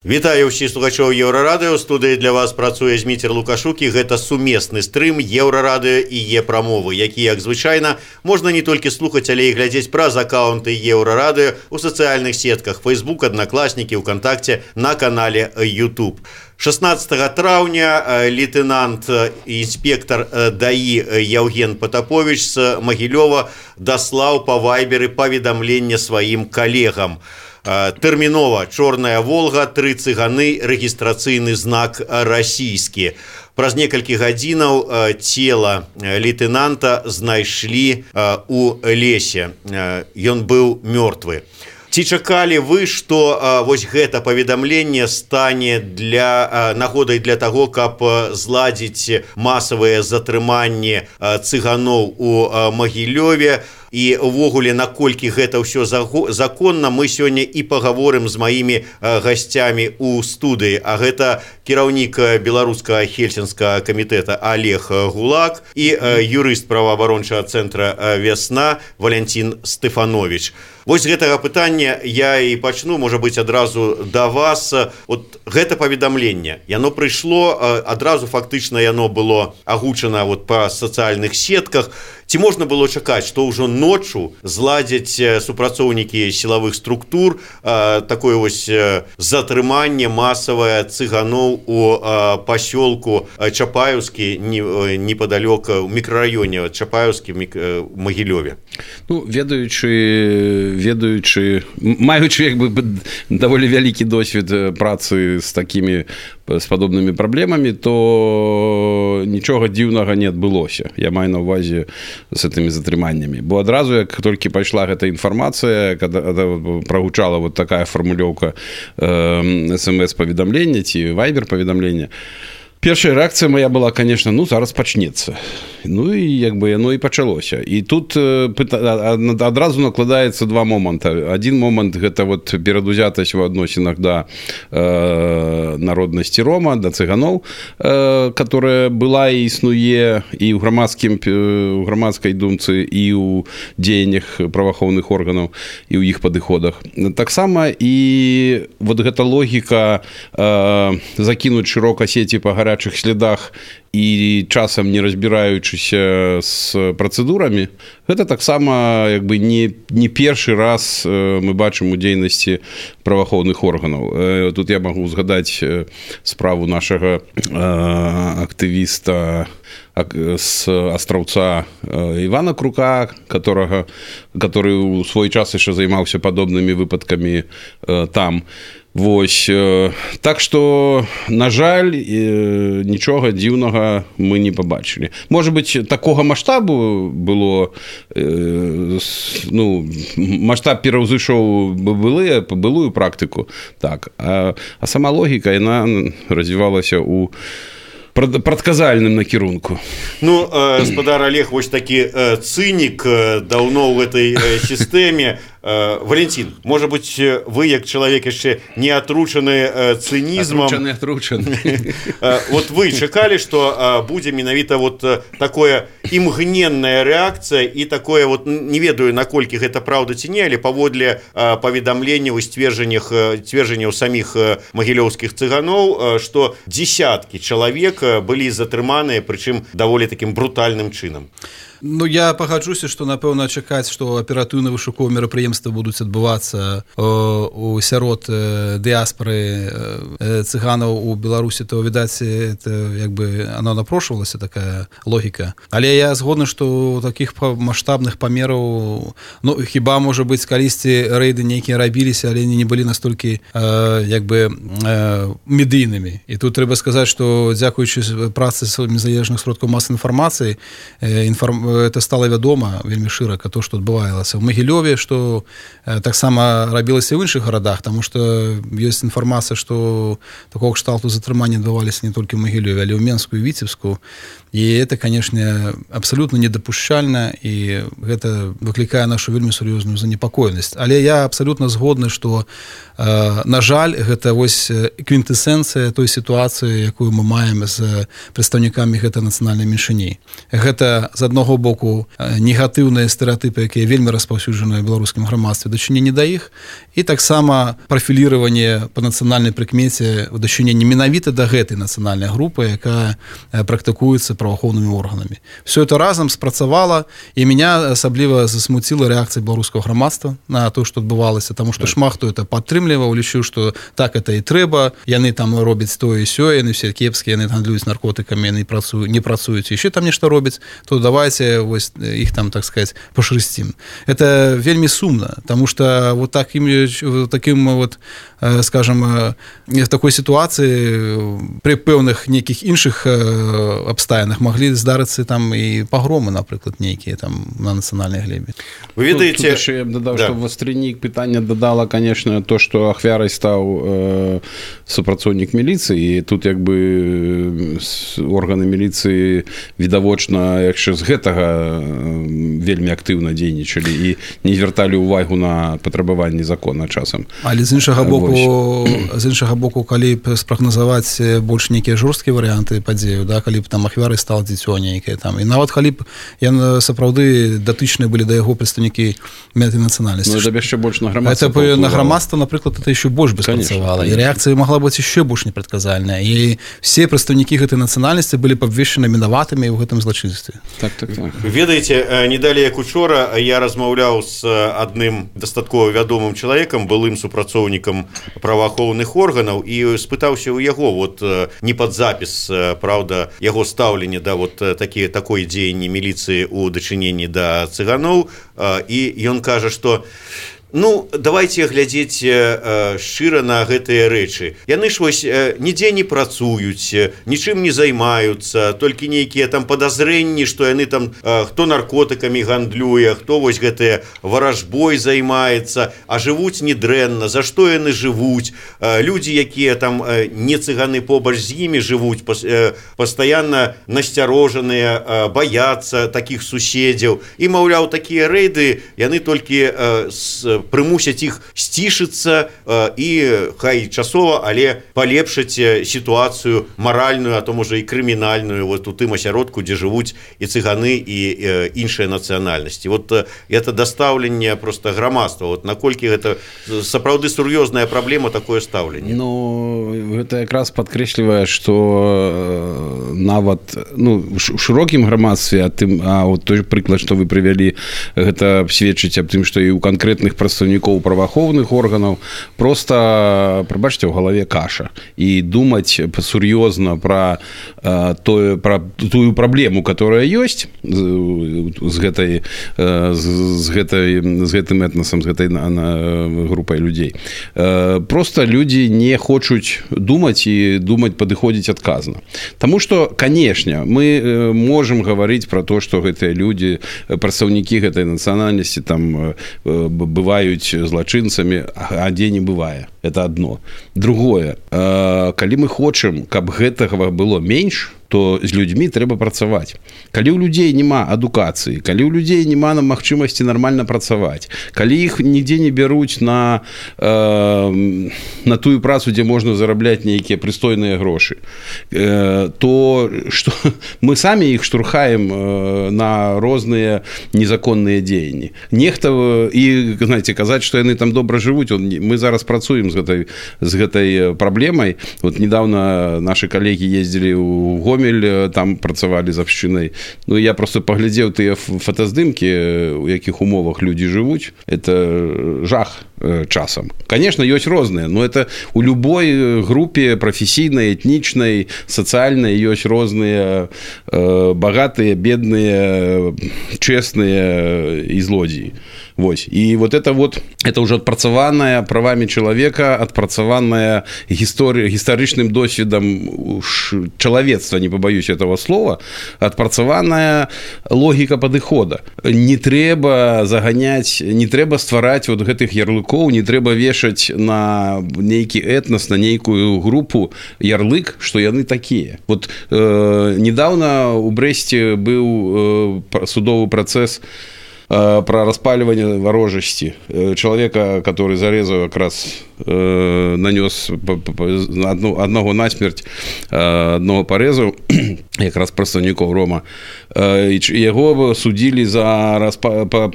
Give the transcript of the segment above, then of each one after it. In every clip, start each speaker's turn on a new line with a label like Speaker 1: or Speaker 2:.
Speaker 1: Вітаю ўсіх слухачоў Еўрарадыё. У студыі для вас працуе Зміцер Лукашук, і гэта сумесны стрым Еўрарадыё і Е-прамовы, які, як звычайна, можна не толькі слухаць, але і глядзець праз акаунты Еўрарадыё у сацыяльных сетках Facebook, Аднакласнікі, ВКонтакце, на канале YouTube. 16 траўня лейтенант і інспектор ДАІ Яўген Патапович з Магілёва даслаў па вайберы паведамленне сваім калегам. Тэрмінова «Чорная Волга», 3 цыганы, рэгістрацыйны знак расійскі. Праз некалькі гадзінаў цела лейтенанта знайшлі у лесе. Ён быў мёртвы. Ці чакалі вы, што вось гэта паведамленне стане нагодай для таго, каб зладзіць масавыя затрыманні цыганоў у Магілёве? І увогуле, наколькі гэта ўсё законна, мы сёння і пагаворым з маімі гасцямі ў студыі. А гэта кіраўнік беларускага хельсінскага камітэта Олег Гулак і юрыст праваабарончага цэнтра «Вясна» Валянцін Стэфанович. Вось з гэтага пытання я і пачну, можа быць, адразу да вас. От гэта паведамленне, яно прыйшло, адразу фактычна яно было агучана па сацыяльных сетках. Ці можна было чакаць, што ўжо ноччу зладзяць супрацоўнікі сілавых структур такое вось затрыманне масавае цыганоў у пасёлку Чапаеўскі, непадалёк у мікрараёне Чапаеўскі в Магілёве?
Speaker 2: Ну, маючы даволі вялікі досвед працы з падобнымі праблемамі, то нічога дзіўнага не адбылося. Я маю на ўвазе з гэтымі затрыманнямі. Бо адразу, як толькі пайшла гэта інфармацыя, прагучала вот такая фармулёўка смс-паведамлення ці вайбер-паведамлення, першая рэакцыя моя была, конечно, зараз пачнецца. Ну і яно і пачалося. І тут адразу накладаецца два моманта. Адзін момант – гэта перадузятасць у адносінах да народнасці рома, да цыганоў, которая была і існуе і ў грамадскай думцы, і ў дзеяннях праваахоўных органаў, і ў іх падыходах. Таксама і гэта логіка закінуць шырока сеці па гарячых слядах і часам не разбіраючыся з працэдурамі, гэта таксама не першы раз мы бачым у дзейнасці праваахоўных органаў. Тут я магу згадаць справу нашага актывіста з Астраўца Івана Крука, который у свой час яшчэ займаўся падобнымі выпадкамі там. Вось. Так што, на жаль, нічога дзіўнага мы не пабачылі. Можа быць, такога маштабу было, маштаб пераўзышоў былую практыку, так. А сама логіка, яна развівалася ў прадказальным накірунку.
Speaker 1: Ну, гаспадар Олег, вось такі цынік даўно ў гэтай сістэме. Валентин, можа быць, вы, як чалавек яшчэ не атручаны цынізмам, вот вы чакалі, што будзе менавіта такое імгненная рэакцыя і такое, не ведаю, наколькі гэта праўда ці не, але паводле паведамленняў і сцверджанняў саміх магілёўскіх цыганоў, што дзесяткі чалавек былі затрыманыя, прычым даволі такім брутальным чынам.
Speaker 3: Ну, я пагаджуся, што, напэўна, чакаць, што аператыўна-вышуковыя мерапрыемствы будуць адбывацца у сярод дыяспары цыганаў у Беларусі, то, відаць, оно напрошвалася, такая логіка. Але я згодны, што такіх маштабных памераў, хіба, можа быць, калісьці рэйды нейкія рабіліся, але не былі настолькі, медыйнымі. І тут трэба сказаць, што, дзякуючы працы незалежных сродкаў масавай інфармацыі, это стала вядома вельмі шырака, то, што адбывалася ў Магілёве, што таксама рабілася ў іншых гарадах, таму што ёсць інфармацыя, што такога кшталту затрымання адбываліся не толькі ў Магілёве, але ў Менску і Віцебску. І это, канешне, абсалютна недапушчальна, і гэта выклікае нашу вельмі сур'ёзную занепакоенасць. Але я абсалютна згодны, што, на жаль, гэта вось квінтэсенцыя той сітуацыі, якую мы маем з прадстаўнікамі гэтай нацыянальнай меншыні. Гэта, з аднаго боку, негатыўныя стэрэатыпы, якія вельмі распаўсюджаныя ў беларускім грамадстве, дачыненні да іх, і таксама прафіліраванне па нацыянальнай прыкмеце ў дачыненні менавіта да гэтай нацыянальнай групы, якая практыкуецца праваахоўнымі органамі. Все это разам спрацавала, і меня асабліва засмуціла рэакцыя беларускага грамадства на то, што адбывалася, таму што шмат хто это падтрымліваў, лічыў, што так это і трэба, яны там робяць тое і сёе, яны все кепскія, яны гандлююць наркотыкамі, яны не працуюць, яшчэ там нешта робяць, то давайте вось іх там, так сказать, пашрысцім. Это вельмі сумна, таму што вот таким вот, скажем, в такой ситуации при пэўных нейкіх іншых абставінах маглі здарыцца там і пагромы, напрыклад, нейкія там на нацыянальнай глебе.
Speaker 1: Вы ведаеце,
Speaker 2: я б дадаў, што вастрынік пытання дадала, конечно, то, што ахвярай стаў супрацоўнік міліцыі, і тут як бы органы міліцыі відавочна яшчэ з гэтага вельмі актыўна дзейнічалі і не звярталі ўвагу на патрабаванні закона часам.
Speaker 3: Але з іншага боку, калі б спрагназаваць больш нейкія жорсткія варыянты падзею, да, калі б там ахвярай стала дзіцё нейкае там, і нават калі б сапраўды датычныя былі да яго прадстаўнікі гэтай нацыянальнасці.
Speaker 2: Ну, это яшчэ больш на грамадства.
Speaker 3: Это на грамадства, напрыклад, это еще больш бы спрацавала. І рэакцыя магла быць яшчэ больш непрадказальная. І все прадстаўнікі гэтай нацыянальнасці былі б абвешчаны вінаватымі ў гэтым злачынстве.
Speaker 2: Так.
Speaker 1: Ведаеце, не далей як учора я размаўляў з адным дастаткова вядомым чалавекам, былым супрацоўнікам праваахоўных органаў, і спытаўся ў яго, вот не пад запіс, правда, яго стаўленне да вот такой дзеянні міліцыі ў дачыненні да цыганоў, і ён кажа, што давайте глядзець шчыра на гэтыя рэчы. Яны ж вось нідзе не працуюць, нічым не займаюцца, толькі нейкія там падазрэнні, што яны там хто наркотыкамі гандлюе, хто вось гэтыя варажбой займаецца, а жывуць недрэнна, за што яны жывуць. Людзі, якія там не цыганы побач з імі жывуць, пастаянна насцярожаныя, баяцца такіх суседзяў. І, маўляў, такія рэйды, яны толькі прымусяць іх сцішыцца і хай часова, але палепшыць сітуацыю маральную, а то можа і крымінальную вот у тым асяродку, дзе жывуць і цыганы, і іншыя нацыянальнасці. Вот это дастаўленне просто грамадства. Вот наколькі гэта сапраўды сур'ёзная праблема, такое стаўленне?
Speaker 2: Гэта якраз падкрэслівае, што нават у шырокім грамадстве, а вот той прыклад, што вы прывялі, гэта сведчыць аб тым, што і ў канкрэтных прадстаўнікоў праваахоўных органаў проста, прабачце, ў галаве каша. І думаць сур'ёзна пра тую праблему, которая ёсць з гэтым этнасам, з гэтай групай людзей. Проста людзі не хочуць думаць і думаць падыходзіць адказна. Таму што, канешне, мы можам гаварыць пра то, што гэтыя людзі, прадстаўнікі гэтай нацыянальнасці там бываюць злачынцамі, а дзе не бывае. Это одно. Другое, калі мы хочам, каб гэтага было менш, то з людзьмі трэба працаваць. Калі ў людзей няма адукацыі, калі ў людзей няма магчымасці нармальна працаваць, калі іх нідзе не бяруць на тую працу, дзе можна зарабляць нейкія прыстойныя грошы, то што мы самі іх штурхаем на розныя незаконныя дзеянні. Нехта, і, знаеце, казаць, што яны там добра жывуць, мы зараз працуем з гэтай праблемай. Вот недавно наши калегі ездзілі ў Гомель, там працавалі з абшчынай. Я просто паглядзеў тыя фотаздымкі, у якіх умовах людзі жывуць. Это жах часам. Конечно, ёсць розныя, но это у любой групе прафесійнай, этнічнай, сацыяльнай ёсць розныя багатыя, бедныя, честныя і злодзеі. Вось. І вот это уже адпрацаваная правамі чалавека, адпрацаваная гістарычным досведам чалавецтва, не побоюсь этого слова, адпрацаваная логіка падыхода. Не трэба заганяць, не трэба ствараць вот гэтых ярлыкоў, не трэба вешаць на нейкі этнас, на нейкую групу ярлык, што яны такія. Вот недавно у Брэсце быў судовы працэс про распаливание ворожести. Человека, который зарезал, как раз нанес одного насмерть, одного порезал, как раз представников Рома. Его судили за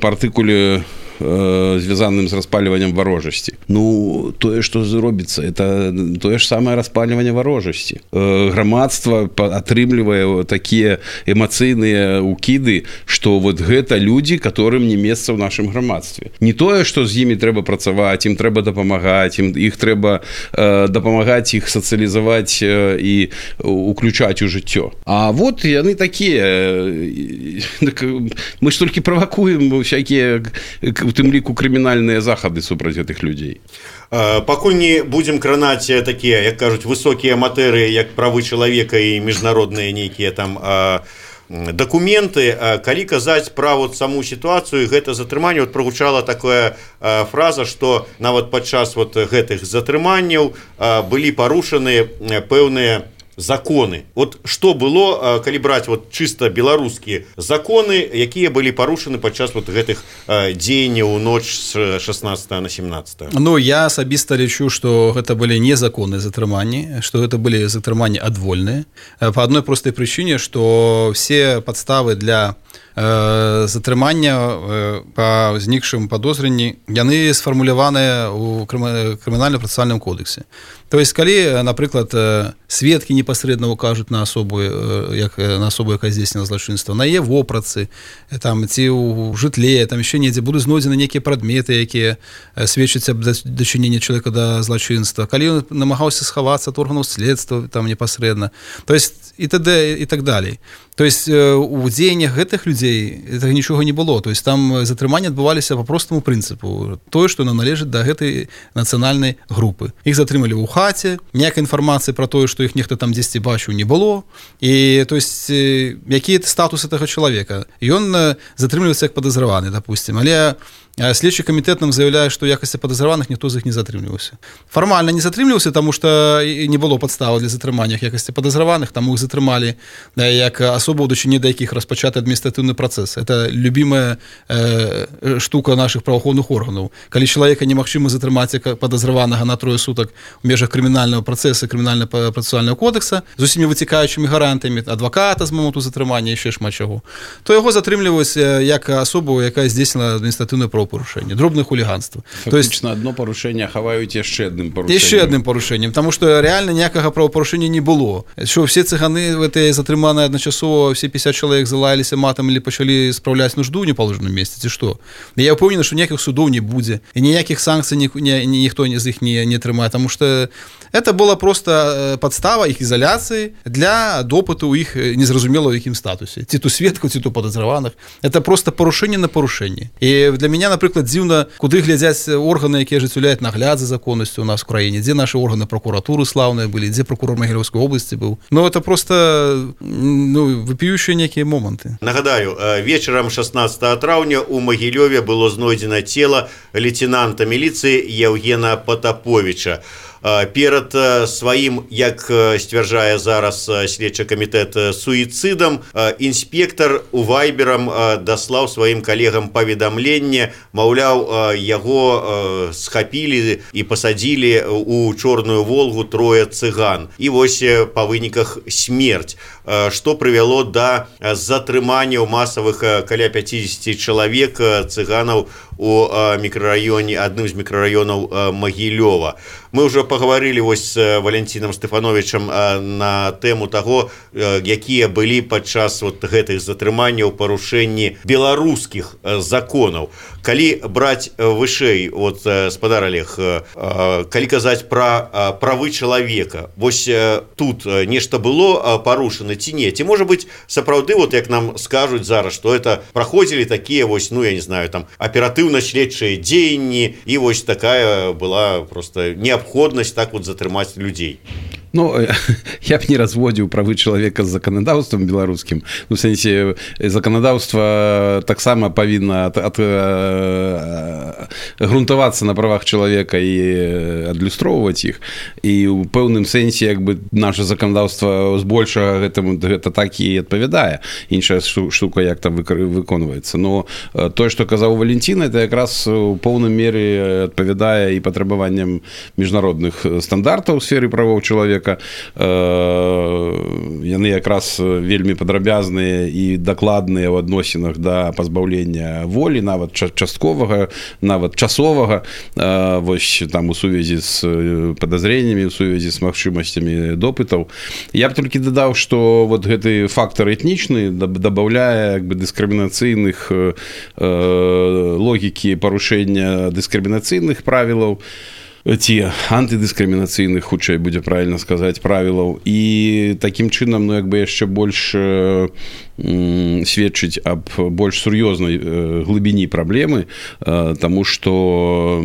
Speaker 2: партикулы, звязаным з распальваннем ворожасці. Ну, тое, што зробіцца, это тое ж самае распальванне ворожасці. Грамадства атрымлівае такія эмацыйныя укіды, што вот гэта людзі, которым не месца ў нашым грамадстве. Не тое, што з імі трэба працаваць, ім трэба дапамагаць, іх трэба дапамагаць, іх сацыялізаваць і уключаць у жыццё. А вот яны такія. Мы ж толькі правакуем всякія, у тым ліку, крымінальныя захады супраць гэтых людзей.
Speaker 1: Пакуль не будзем кранаць такія, як кажуць, высокія матэрыі, як правы чалавека і міжнародныя нейкія там дакументы, калі казаць пра вот саму сітуацыю, гэта затрыманне, вот прагучала такая фраза, што нават падчас вот гэтых затрыманняў былі парушаны пэўныя законы. Вот што было, калі браць вот чыста беларускія законы, якія былі парушаны падчас вот гэтых дзеянняў у ноч з 16 на 17?
Speaker 3: Ну, я асабіста лічу, што гэта былі незаконныя затрыманні, што гэта былі затрыманні адвольныя. Па адной простай прычыне, што все падставы для затрымання па ўзнікшым падозрэнні, яны сфармуляваныя ў крымінальна-працэсуальным кодексе. То есть, калі, напрыклад, сведкі непасрэдна укажуць на асобу, якая здзейснила злачынства, на яе вопратцы, там, ці ў жытле, там яшчэ недзе будуць знойдзены нейкія прадметы, якія сведчаць аб дачыненні чалавека да злачынства, калі ён намагаўся схавацца ад органаў следства там непасрэдна, то есть і т.д. і так далей. То есть у дзеяннях гэтых людзей гэтага нічога не было. То есть там затрыманні адбываліся па простаму прынцыпу. Тое, што належыць да гэтай нацыянальнай групы. Іх затрымалі ў хаце, ніякай інфармацыі пра тое, што іх нехта там дзесьці бачыў, не было. І то есть які статус гэтага чалавека? Ён затрымліваецца як падазраваны, допустим. Але следчы камітэт нам заяўляе, што ў якасці падазраваных ніхто з іх не затрымліваўся. Фармальна не затрымліваўся, таму што не было падставы для затрымання ў якасці падазраваных, таму іх затрымалі як асобу, у дачыненні да якіх распачаты адміністратыўны працэс. Это любімая штука нашых праваахоўных органаў. Калі чалавека немагчыма затрымаць як падазраванага на 3 сутак у межах крымінальнага працэса, крымінальна-працэсуальнага кодекса з усімі выцікаючымі гарантамі, адваката з моманту затрымання, яшчэ шмат чаго, то яго затрымліваюць як асобу, якая здзейснила адміністратыўнае правапарушэнне, дробнае хуліганства.
Speaker 2: Фактычна адно парушэнне хаваюць яшчэ адным парушэннем.
Speaker 3: Яшчэ адным парушэннем, таму што рэальна ніякага правапарушэння не было. Што ўсе цыганы гэтыя затрыманыя адначасова, все 50 чалавек залаяліся матам или пачалі спраўляць нужду ў непаложаным месцы, ці што? Я ўпэўнены, што ніякіх судоў не будзе, і ніякіх санкцый ніхто з іх не трымае, таму што это была просто падстава іх ізаляцыі для допыту ў іх незразумела ў якім статусе. Ці то сведкаў, ці то падазраваных. Это просто парушэнне на парушэнне. І для мяне, напрыклад, дзіўна, куды глядзяць органы, якія ажыццяўляюць нагляд за законнасцю у нас в краіне, дзе нашы органы прокуратуры слаўныя былі, дзе прокурор Магілёўскай обласці быў. Ну, это просто вопіющыя некія моманты.
Speaker 1: Нагадаю, вечарам 16 траўня у Магілёве было знойдзена цела лейтенанта міліцыі Евгена Потаповича. Перад сваім, як сцвярджае зараз следчы камітэт, суіцыдам, інспектар у вайберам даслаў сваім калегам паведамленне, маўляў, яго схапілі і пасадзілі ў чорную Волгу 3 цыган. І вось па выніках смерць, што прывяло да затрымання масавых каля 50 чалавек цыганаў у мікрараёне, адным з мікрараёнаў Магілёва. Мы ўжо пагаварылі вось з Валентинам Стефановичам на тэму таго, якія былі падчас вот гэтых затрыманняў парушэнні беларускіх законаў. Калі браць вышэй, вот, спадар Олег, калі казаць пра правы чалавека, вось тут нешта было парушана ці не? Ці можа быць сапраўды, вот як нам скажуць зараз, што это праходзілі такія вось, ну я не знаю, там аператыўна-следчыя дзеянні, і вось такая была просто неабходнасць так вот затрымаць людзей?
Speaker 2: Ну, я б не разводзіў правы чалавека з заканадаўствам беларускім. Ну, в сэнсе, заканадаўства таксама павінна грунтавацца на правах чалавека і адлюстроўваць іх. І ў пэўным сэнсе, як бы, наша заканадаўства збольшага гэта так і адпавядае. Іншая штука, як там выконваецца. Но тое, што казаў Валентин, это якраз у поўнай меры адпавядае і патрабаванням міжнародных стандартаў у сферы правоў чалавека. Яны якраз вельмі падрабязныя і дакладныя ў адносінах да пазбаўлення волі, нават частковага, нават часовага, вось там у сувязі з падазреннямі, у сувязі з магчымасцямі допытаў. Я б толькі дадаў, што вот гэты фактор этнічны дабаўляе, як бы, дыскрымінацыйных логікі парушэння дыскрымінацыйных правілаў, ці антыдыскрымінацыйных, хутчэй будзе правільна сказаць, правілаў. І такім чынам, ну, як бы яшчэ больш сведчыць аб больш сур'ёзнай глыбіні праблемы, таму што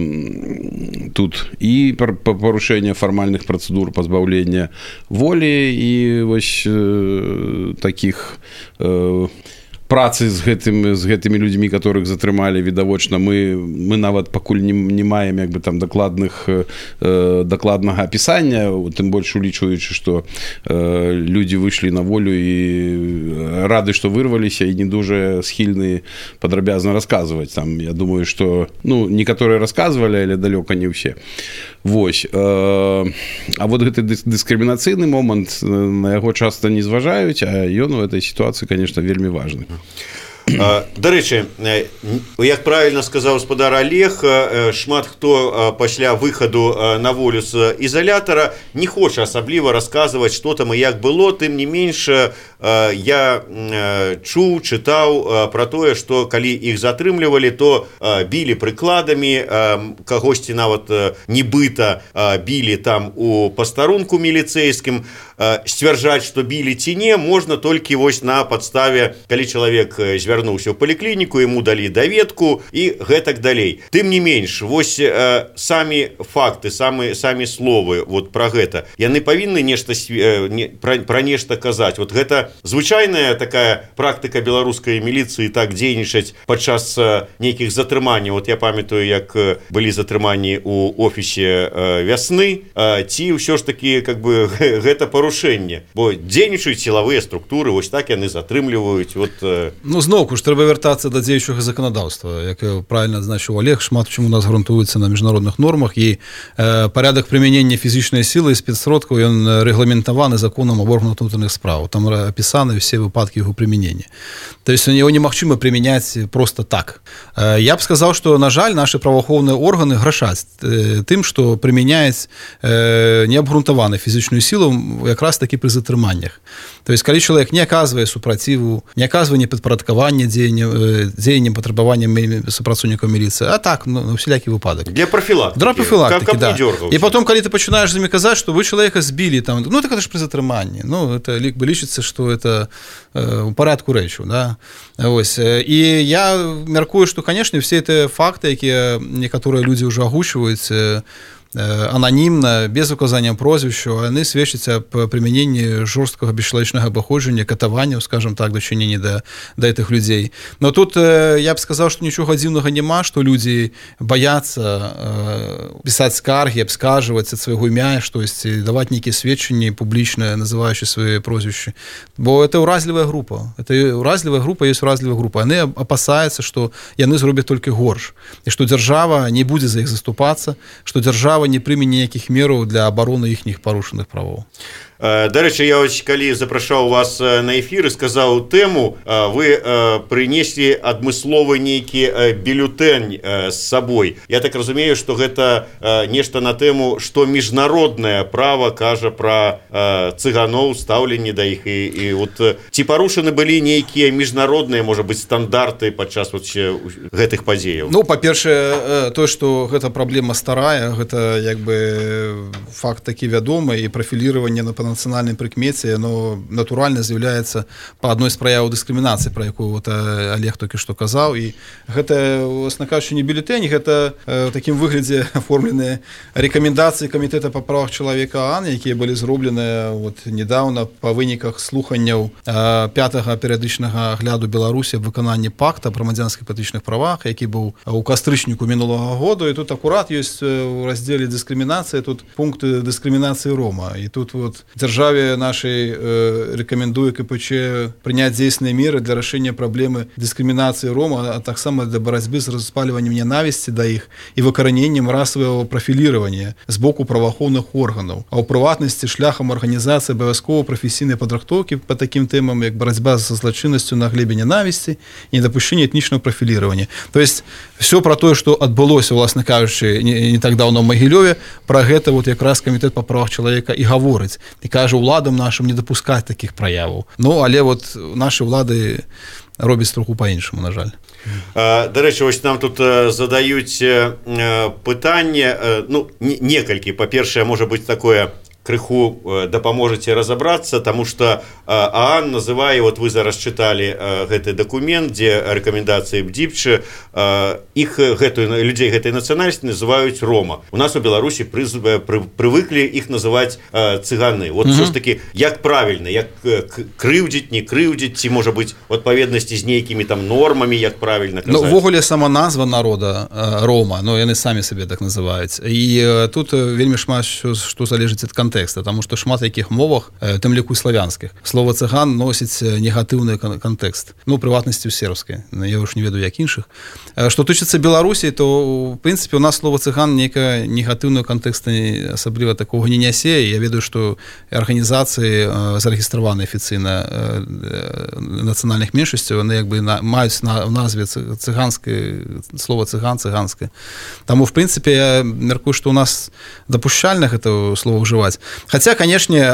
Speaker 2: тут і парушэнне фармальных працэдур пазбаўлення волі і вось такіх працы з гэтымі людзьмі, которых затрымалі, відавочна, мы нават пакуль не маем, як бы, там дакладнага апісання, тым больш улічваючы, што людзі выйшлі на волю і рады, што вырваліся, і не дужа схільны падрабязна расказваць. Там, я думаю, што, ну, некаторыя расказвалі, але далёка не ўсе. Вось. А вот гэты дыскрымінацыйны момант, на яго часта не зважаюць, а ён у этой сітуацыі, конечно, вельмі важны.
Speaker 1: Дарэчы, як правільна сказаў гаспадар Олег, шмат хто пасля выхаду на волю з ізалятара не хоча асабліва расказваць, што там і як было. Тым не менш, я чуў, чытаў пра тое, што калі іх затрымлівалі, то білі прыкладамі, кагосьці нават нібыта білі там у пастарунку міліцэйскім. Сцвярджаць, што білі ці не, можна толькі вось на падставе, калі чалавек звярнуўся ў паліклініку, яму далі даведку і гэтак далей. Тым не менш, вось самі факты, самі словы вот пра гэта, яны павінны нешта пра нешта казаць. Вот гэта звычайная такая практыка беларускай міліцыі так дзейнічаць падчас нейкіх затрыманняў. Вот я памятаю, як былі затрыманні ў офісе вясны, ці ўсё ж такі, как бы, гэта парушэнне. Бо дзейнічаюць сілавыя структуры, вось так яны затрымліваюць. Вот...
Speaker 3: Ну, зноўку ж трэба вяртацца да дзеючага заканадаўства. Як правільна адзначыў Олег, шмат чым у нас грунтуецца на міжнародных нормах, і парядак прымянення фізічнай сілы і спецсродкаў, ён рэгламентаваны законам аб органах внутренних справ. Там апісаны ўсе выпадкі яго прымянення. То есть яго немагчыма прымяняць просто так. Я б сказаў, што, на жаль, нашы праваахоўныя органы грашаць тым, што прымяняюць неабгрунтаваны фізічную сілу якраз такі пры затрыманнях. То есть, калі чалавек не аказвае супраціву, не аказвае непадпарадкавання дзеянням, патрабаванням супрацоўнікаў міліцыі, а так, на усялякі выпадак.
Speaker 1: Для профілактыкі.
Speaker 3: Для профілактыкі, да. І потом, калі ты пачынаеш з імі казаць, што вы чалавека збілі, там, ну, так это ж пры затрыманні. Ну, это лічыцца, што это у парадку рэчаў, да. Вось. І я мяркую, што, канешне, все гэтыя факты, якія некаторыя людзі ўжо агучваюць, ананімна, без указання прозвішча, яны сведчаць аб прымяненні жорсткага бесчалавечнага абыходжання, катаванняў, скажем так, дачынення да гэтых людзей. Но тут я б сказаў, што нічога дзіўнага няма, што людзі баяцца пісаць скаргі, абскарджваць ад свайго імя штосьці, даваць нейкія сведчанні публічныя, называючы свае прозвішчы. Бо это ўразлівая група. Это ўразлівая група, ёсць ўразлівая група. Яны апасаюцца, што яны зробяць толькі горш. І што дзяржава не будзе за іх заступацца, што дзяржава не прыме ніякіх мераў для абароны іхніх парушаных правоў.
Speaker 1: Дарэчы, я ось, калі запрашаў вас на эфір і сказаў тэму, вы прынеслі адмысловы нейкі бюлетэнь з сабой. Я так разумею, што гэта нешта на тэму, што міжнароднае права кажа пра цыганоў, стаўленне да іх. І вот ці парушаны былі нейкія міжнародныя, можа быць, стандарты падчас вот гэтых падзеяў?
Speaker 3: Ну, па-першае, тое, што гэта праблема старая, гэта як бы факт такі вядомы, і прафіліраванне па нацыянальнай прыкмеце, оно натуральна з'яўляецца па адной з праяў дыскрымінацыі, пра якую вот Олег толькі што казаў. І гэта, власна кажучы, не бюлетэнь, гэта ў такім выглядзе аформленыя рэкамендацыі Камітэта па правах чалавека ААН, якія былі зробленыя вот недавно па выніках слуханняў 5-го перыядычнага агляду Беларусі аб выкананні пакта пра грамадзянскіх палітычных правах, які быў у кастрычніку мінулага году. І тут акурат ёсць у раздзеле дыскрымінацыя тут пункты дыскрымінацыі рома. І тут вот дзяржаве нашай рэкамендуе КПЧ прыняць дзейсныя меры для рашэння праблемы дыскрымінацыі рома, а таксама для барацьбы з распальваннем ненавісці да іх і выкараненнем расавага прафіліравання з боку праваахоўных органаў. А ў прыватнасці шляхам арганізацыі абавязкова прафесійнай падрыхтоўкі па такім тэмам, як барацьба са злачыннасцю на глебе ненавісці і недапушчэнне этнічнага прафіліравання. То есть все про тое, што адбылося, власна кажучы, не так даўно ў Магілёве, пра гэта вот якраз Камітэт па правах чалавека і гаворыць. І кажа уладам нашым не дапускаць такіх праяваў. Ну, але вот нашы ўлады робяць троху па-іншаму, на жаль.
Speaker 1: Дарэчы, вось нам тут задаюць пытанне, ну, некалькі. Па-першае, можа быць такое крыху дапаможаце разабрацца, таму што ААН называе, вот вы зараз чыталі гэты дакумент, дзе рэкамендацыі БДИПЧ, іх людзей гэтай нацыянальнасці называюць рома. У нас у Беларусі прывыклі іх называць цыганы. Вот все ж таки, як правільна, як крыўдзіць, не крыўдзіць, ці можа быць у адпаведнасці з нейкімі там нормамі, як правільна казаць?
Speaker 3: Ну, увогуле сама назва народа рома, ну, яны самі сабе так называюць. І тут вельмі шмат што залежыць ад контекста, таму што шмат якіх мовах, тым ліку славянскіх, слова цыган носіць негатыўны кантэкст. Ну, у прыватнасці ў сербскай, я ўж не ведаю, як іншых. Што тычыцца Беларусі, то, у прынцыпе, у нас слова цыган нейкага негатыўнага кантэкста асабліва такога не нясе. Я ведаю, што арганізацыі зарэгістраваны афіцыйна нацыянальных меншасцяў, яны як бы маюць на назве цыганскае, слова цыган, цыганскае. Таму, в прынцыпе, я мяркую, што у нас дапушчальна гэта слова ўжываць. Хаця, канешне,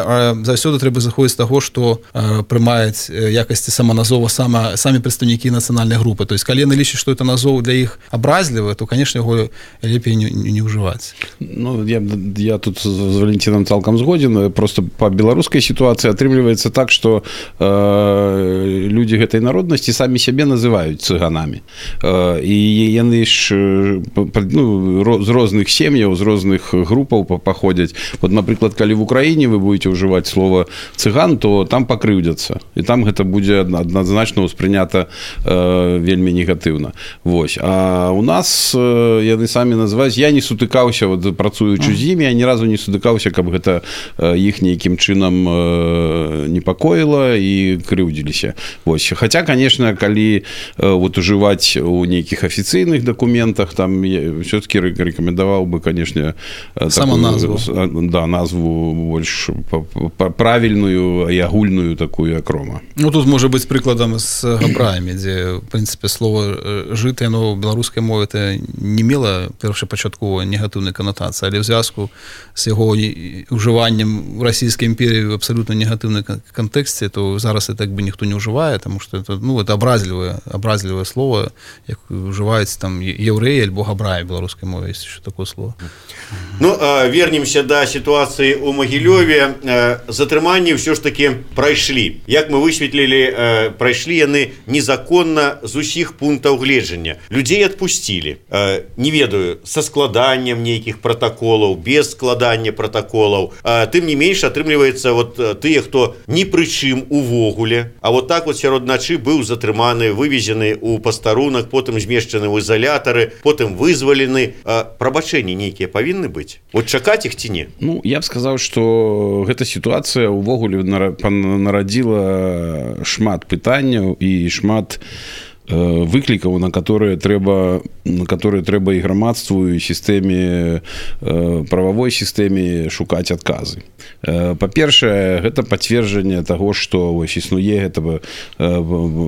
Speaker 3: заўсёды трэба заходзіць з таго, што прымаюць якасці саманазова самі прадстаўнікі нацыянальнай групы. То есть, калі яны лічаць, што это назоў для іх абразлівы, то, канешне, яго лепей не ўжываць.
Speaker 2: Ну, я тут з Валентином цалкам згоден. Просто па беларускай сітуацыі атрымліваецца так, што людзі гэтай народнасці самі сябе называюць цыганамі. І яны ж з розных сем'яў, з розных групаў паходзяць. Вот, напрыклад, калі в Украіне вы будете ўжываць слово цыган, то там пакрыўдзяцца. І там гэта будзе адназначна ўспрынята вельмі негатыўна. Вось. А у нас яны самі называюць, я не сутыкаўся, вот, працуючы з імі, я ні разу не сутыкаўся, каб гэта іх нейкім чынам непакоіла і крыўдзіліся. Вось. Хаця, конечно, калі вот ужываць у нейкіх афіцыйных дакументах, там все-таки рэкамендаваў бы, конечно,
Speaker 3: сама назву.
Speaker 2: Да, назву больш правільную і агульную такую, як рома.
Speaker 3: Ну, тут можа быць прыкладам з габраямі, дзе, в прынцыпе, слово жытае, но ў беларускай мове это не мела першапачаткова негатыўнай канатацыі, але ў звязку з яго ўжываннем у расійскай імперіі в абсалютна негатыўнай кантэксце, то зараз это так бы ніхто не ўжывае, таму што это, ну, это абразлівае слово, як ўжываюць там еўрэі альбо габраі ў беларускай мове, ёсць еще такое слово.
Speaker 1: Ну, вернемся да сітуацыі ў Магілёве. Затрыманні ўсё ж такі прайшлі. Як мы высветлілі, прайшлі яны незаконна з усіх пунктаў гледжання. Людзей адпусцілі. Не ведаю, са складаннем нейкіх пратаколаў, без складання пратаколаў. Тым не менш, атрымліваецца, вот тыя, хто ні пры чым увогуле, а вот так вот сярод начы быў затрыманы, вывезены ў пастарунак, потым змешчаны ў изолятары, потым вызвалены. Прабачэнні нейкія павінны быць? Вот чакаць іх ці не?
Speaker 2: Ну, я б сказаў, што гэта сітуацыя ўвогуле нарадзіла шмат пытанняў і шмат выклікаў, на которые трэба і грамадству, і сістэме, прававой сістэме шукаць адказы. Па-першае, гэта пацверджанне таго, што вось існуе гэта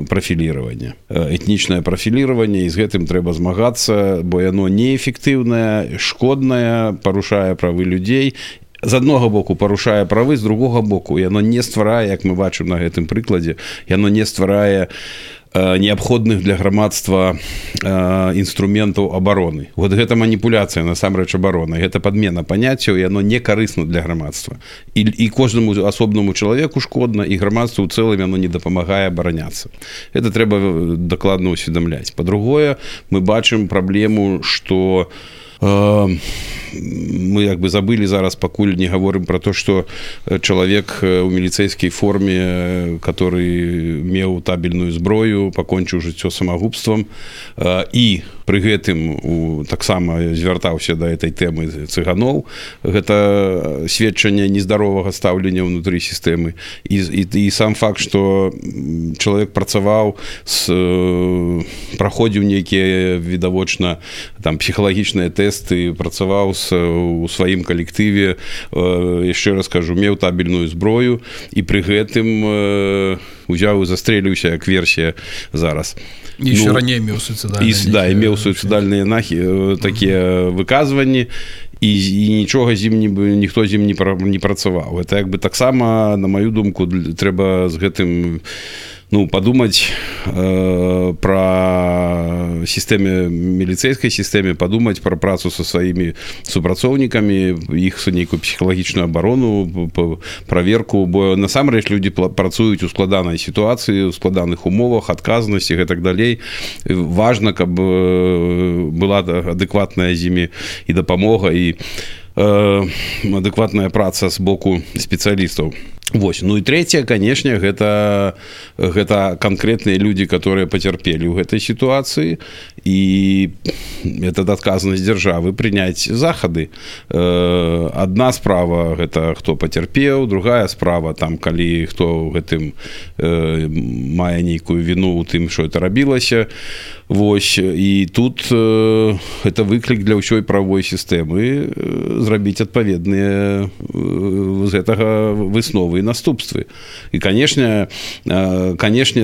Speaker 2: прафіліраванне, этнічнае прафіліраванне, і з гэтым трэба змагацца, бо яно неэфектыўнае, шкоднае, парушае правы людзей, з аднаго боку парушае правы, з другога боку яно не стварае, як мы бачым на гэтым прыкладзе, яно не стварае неабходных для грамадства інструментаў абароны. Вот гэта маніпуляцыя насамрэч абароны, гэта падмена паняццяў, і яно не карысна для грамадства. І кожнаму асобнаму чалавеку шкодна, і грамадству ў цэлым яно не дапамагае абараняцца. Гэта трэба дакладна ўсведамляць. Па-другое, мы бачым праблему, што мы як бы забылі зараз, пакуль не гаворым про то, што чалавек у міліцэйскай форме, который меў табельную зброю, пакончыў жыццё самагубствам і пры гэтым таксама звяртаўся да этой тэмы цыганоў, гэта сведчанне нездаровага стаўлення ўнутры сістэмы. І сам факт, што чалавек працаваў, праходзіў нейкія відавочна там псіхалагічныя тэсты, працаваў у сваім калектыве, яшчэ раз кажу, меў табельную зброю, і пры гэтым узяў і застрэліўся, як версія зараз.
Speaker 3: І яшчэ раней меў суіцыдальныя.
Speaker 2: Да, і меў суіцыдальныя такія выказванні, і нічога ніхто з ім не працаваў. Это як бы таксама, на маю думку, трэба з гэтым падумаць пра сістэме, міліцэйскай сістэме, падумаць пра працу са сваімі супрацоўнікамі, іх нейкую псіхалагічную абарону, праверку, бо насамрэч людзі працуюць у складанай сітуацыі, у складаных умовах, адказнасці і гэтак далей. Важна, каб была адэкватная з імі і дапамога, і адэкватная праца з боку спецыялістаў. Вось. Ну і трэцяе, канешне, гэта канкрэтныя людзі, которые пацярпелі ў гэтай сітуацыі, і это адказнасць дзяржавы прыняць захады. Адна справа гэта хто пацярпеў, другая справа там, калі хто ў гэтым мае нейкую віну ў тым, што это рабілася. Вось. І тут гэта выклік для ўсёй правовой сістэмы зрабіць адпаведныя з гэтага высновы і наступствы. І, канешне,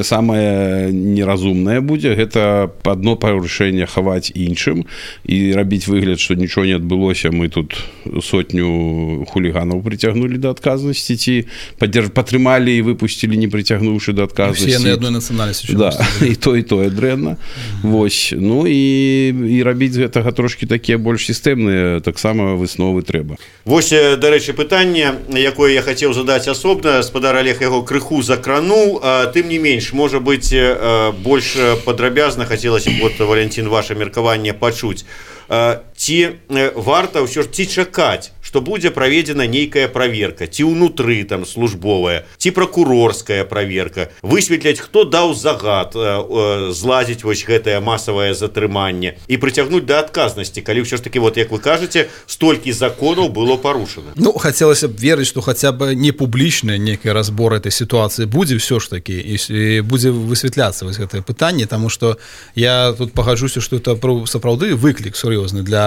Speaker 2: самае неразумнае будзе гэта адно парушэнне хаваць іншым і рабіць выгляд, што нічого не адбылося, мы тут сотню хуліганаў прыцягнулі да адказнасці, ці падтрымалі і выпусцілі, не прыцягнуўшы да адказнасці.
Speaker 3: Усе яны адной нацыянальнасці.
Speaker 2: Да, і тое дрэнна. Вось. Ну і рабіць з гэтага трошкі такія больш сістэмныя таксама высновы трэба.
Speaker 1: Вось, дарэчы, пытанне, якое я хацеў задаць асобна, спадар Олег яго крыху закрануў, тым не менш, можа быць, больш падрабязна хацелася б, вот, Валентин, ваше меркаванне пачуць. Ці варта ўсё ж, ці чакаць, што будзе праведзена нейкая праверка, ці ўнутры там службовая, ці пракурорская праверка, высветляць, хто даў загад злазіць вось гэтае масавае затрыманне і прыцягнуць да адказнасці, калі ўсё ж такі, вот як вы кажаце, столькі законаў было парушана.
Speaker 3: Ну, хацелася б верыць, што хаця б не публічны нейкі разбор этой сітуацыі будзе ўсё ж такі, і будзе высвятляцца вось гэтае пытанне, таму што я тут пагаджуся, што это сапраўды выклік сур'ёзны для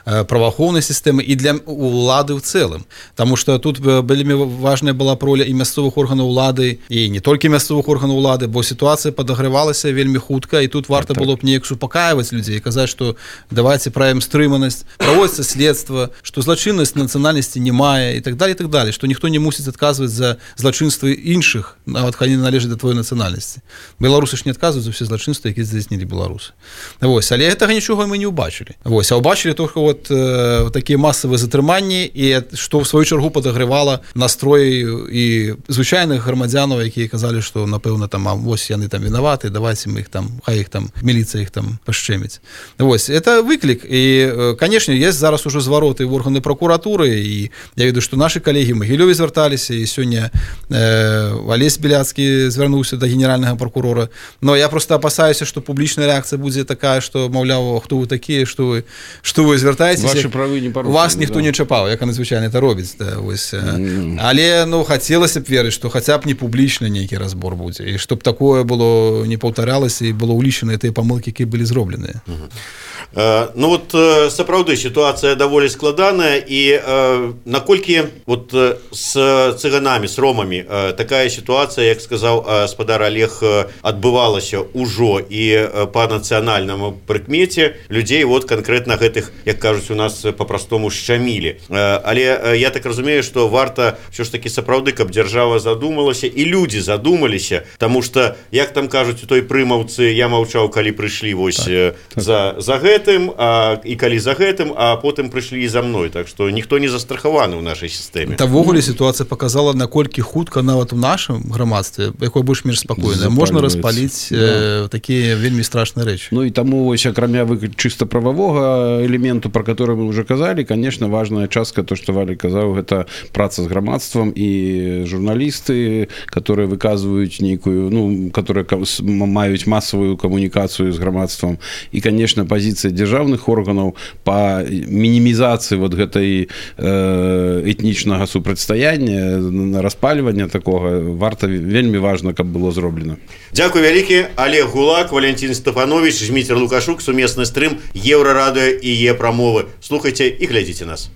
Speaker 3: праваахоўнай сістэмы і для улады ў цэлым. Таму што тут вельмі важная была роля і мясцовых органаў улады, і не толькі мясцовых органаў улады, бо сітуацыя падагравалася вельмі хутка, і тут варта было б неяк супакаиваць людзей, казаць, што давайте праявім стрыманасць, праводзіцца следства, што злачыннасць нацыянальнасці не мае, і так далее, што ніхто не мусіць адказваць за злачынствы іншых, нават калі належаць да твоей нацыянальнасці. Беларусы ж не адказваюць за ўсе злачынствы, якія здзейснілі беларусы. Вось, але гэтага нічога мы не ўбачылі. Вось, а ўбачылі толькі вот такія масавыя затрыманні, і што в сваю чаргу падагравала настрой і звычайных грамадзянаў, якія казалі, што напэўна там вось яны там вінаваты, давайте мы іх там, хай іх там міліцыя іх там пашчэміць. Вось, это выклік, і канешне, ёсць зараз ужо звароты в органы прокуратуры, і я ведаю, што нашы калегі ў Магілёве звярталіся, і сёння Алесь Беляцкі звярнуўся да генеральнага прокурора. Но я просто апасаюся, што публічная рэакцыя будзе такая, што маўляў, хто вы такія, што вы звяртаецеся,
Speaker 2: ваши правы не парушаны,
Speaker 3: вас ніхто не чапаў, як звычайна это робіць, да, вось. Але хацелася б верыць, што хаця б не публічна нейкі разбор будзе, і чтоб такое было не паўтаралася і было ўлічаны тыя памылкі, якія былі зробленыя.
Speaker 1: Ну вот сапраўды сітуацыя даволі складаная, і наколькі вот з цыганамі, з ромамі такая сітуацыя, як сказаў спадар Олег, адбывалася ўжо і па нацыянальнаму прыкмеце людзей вот канкрэтна гэтай гэтых, як кажуць у нас по-простому, шчамілі. Але я так разумею, што варта ўсё ж такі сапраўды, каб дзяржава задумалася і людзі задумаліся, таму што, як там кажуць у той прымаўцы, я маўчаў, калі прыйшлі вось за гэтым, і калі за гэтым, а потым прыйшлі і за мной. Так што ніхто не застрахаваны ў нашай сістэме.
Speaker 3: Увогуле сітуацыя показала, наколькі хутка нават у нашым грамадстве, якое больш-менш спакойнае, можна распаліць такія вельмі страшныя рэчы.
Speaker 2: Ну і таму вось акрамя чыста прававога элементу, про который мы уже казалі, конечно, важная частка, то, што Валя казаў, гэта праца з грамадствам і журналісты, которые выказваюць нейкую, ну, которые маюць масавую камунікацыю з грамадствам. І, конечно, пазіцыя дзяржаўных органаў па мінімізацыі вот гэтай этнічнага супрацьстаяння, распальвання такога, варта, вельмі важна, каб было зроблена.
Speaker 1: Дзякуй вялікі. Олег Гулак, Валентин Стефанович, Дмітрий Лукашук, сумесны стрым Еўрарадыё і Е-прамовы. Слухайце і глядзіце нас.